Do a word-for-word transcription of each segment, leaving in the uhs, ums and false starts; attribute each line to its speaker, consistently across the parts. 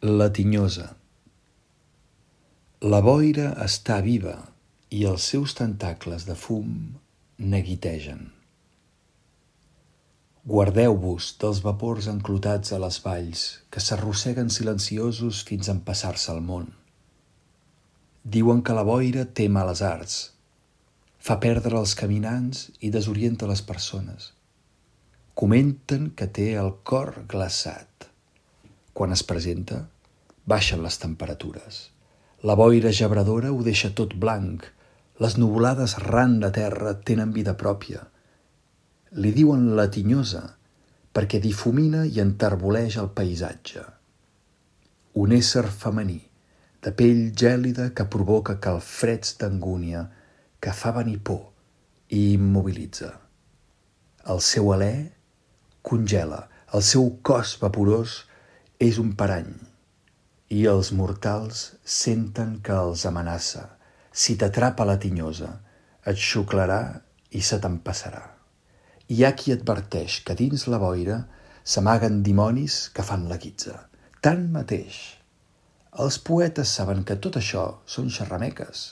Speaker 1: La tinyosa. La boira està viva i els seus tentacles de fum neguitegen. Guardeu-vos dels vapors enclotats a les valls que s'arrosseguen silenciosos fins a empassar-se el món. Diuen que la boira té males arts, fa perdre els caminants i desorienta les persones. Comenten que té el cor glaçat. Quan es presenta, baixen les temperatures. La boira gebradora ho deixa tot blanc. Les nuvolades ran de terra tenen vida pròpia. Li diuen la tinyosa perquè difumina i enterboleix el paisatge. Un ésser femení, de pell gèlida que provoca calfreds d'angúnia, que fa venir por i immobilitza. El seu alè congela, el seu cos vaporós és un parany i els mortals senten que els amenaça. Si t'atrapa la tinyosa, et xuclarà i se t'empassarà. Hi ha qui adverteix que dins la boira s'amaguen dimonis que fan la guitza. Tanmateix, els poetes saben que tot això són xerrameques.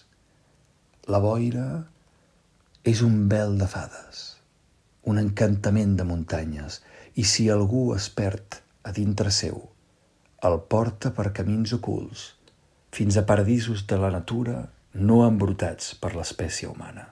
Speaker 1: La boira és un vel de fades, un encantament de muntanyes, i si algú es perd a dintre seu, el porta per camins ocults, fins a paradisos de la natura no embrutats per l'espècie humana.